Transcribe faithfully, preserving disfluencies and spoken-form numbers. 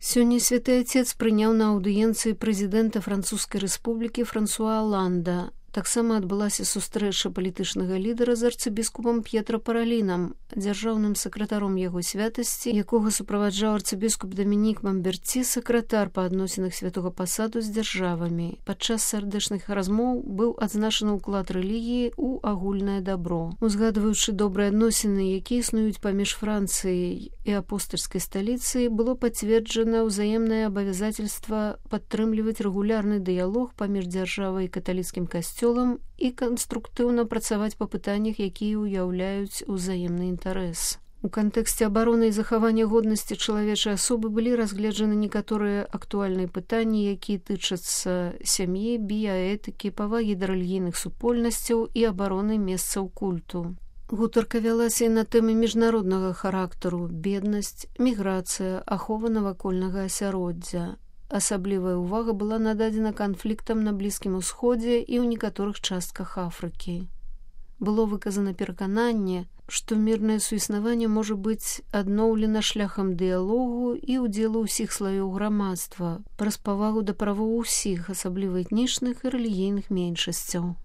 Сёння святы Отец прыняў на аўдыенцыі прэзідэнта Французскай рэспублікі Франсуа Аланда. Таксама адбылася сустрэча палітычнага лідара з арцыбіскупам П'етра Паралінам, дзяржаўным сакратаром яго святасці, якога суправаджаў арцыбіскуп Дамінік Мамберці, сакратар па адносінах святога пасаду з дзяржавамі. Падчас сардэчных размоў быў адзначаны ўклад рэлігіі ў агульнае дабро. Узгадваючы добрыя адносіны, якія існуюць паміж Францыяй і апостальскай сталіцай, было пацверджана ўзаемнае абавязательства падтрымліваць рэгулярны дыялог паміж дзяржавай і каталіцкім касцёлам і канструктыўна працаваць па пытаннях, якія ўяўляюць узаемны інтарэс. У кантэксце абароны і захавання годнасці чалавечай асобы былі разгледжаны некаторыя актуальныя пытанні, якія тычацца сям'і, біяэтыкі, павагі да рэлігійных супольнасцяў і абароны месцаў культу. Гутарка вялася і на тэмы міжнароднага характару: беднасць, міграцыя, ахова навакольнага асяроддзя. Асаблівая ўвага была нададзена канфліктам на Блізкім Усходзе і ў некаторых частках Афрыкі. Было выказана перакананне, што мірнае суіснаванне можа быць адноўлена шляхам дыялогу і ўдзелу ўсіх слаёў грамадства, праз павагу да правоў усіх, асабліва этнічных і рэлігійных меншасцяў.